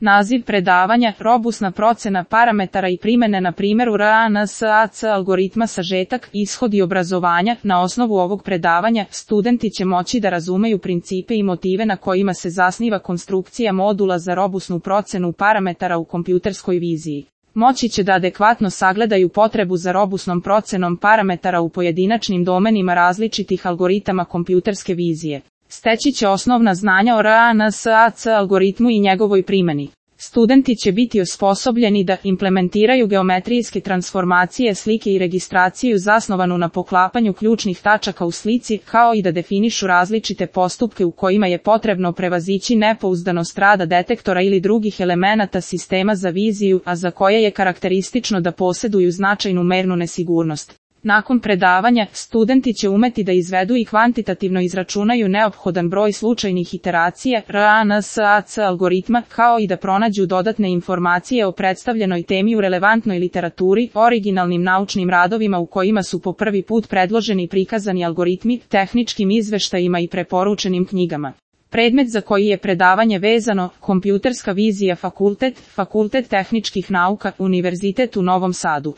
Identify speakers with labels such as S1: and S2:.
S1: Naziv predavanja, robusna procena parametara i primene na primjeru RANSAC algoritma sažetak, ishodi obrazovanja. Na osnovu ovog predavanja, studenti će moći da razumeju principe i motive na kojima se zasniva konstrukcija modula za robusnu procenu parametara u kompjuterskoj viziji. Moći će da adekvatno sagledaju potrebu za robusnom procenom parametara u pojedinačnim domenima različitih algoritama kompjuterske vizije. Steći će osnovna znanja o RANSAC algoritmu i njegovoj primjeni. Studenti će biti osposobljeni da implementiraju geometrijske transformacije slike i registraciju zasnovanu na poklapanju ključnih tačaka u slici, kao i da definišu različite postupke u kojima je potrebno prevazići nepouzdanost rada detektora ili drugih elemenata sistema za viziju, a za koje je karakteristično da posjeduju značajnu mernu nesigurnost. Nakon predavanja, studenti će umeti da izvedu i kvantitativno izračunaju neophodan broj slučajnih iteracija RANSAC algoritma, kao i da pronađu dodatne informacije o predstavljenoj temi u relevantnoj literaturi, originalnim naučnim radovima u kojima su po prvi put predloženi prikazani algoritmi, tehničkim izveštajima i preporučenim knjigama. Predmet za koji je predavanje vezano, kompjuterska vizija fakultet tehničkih nauka, Univerzitet u Novom Sadu.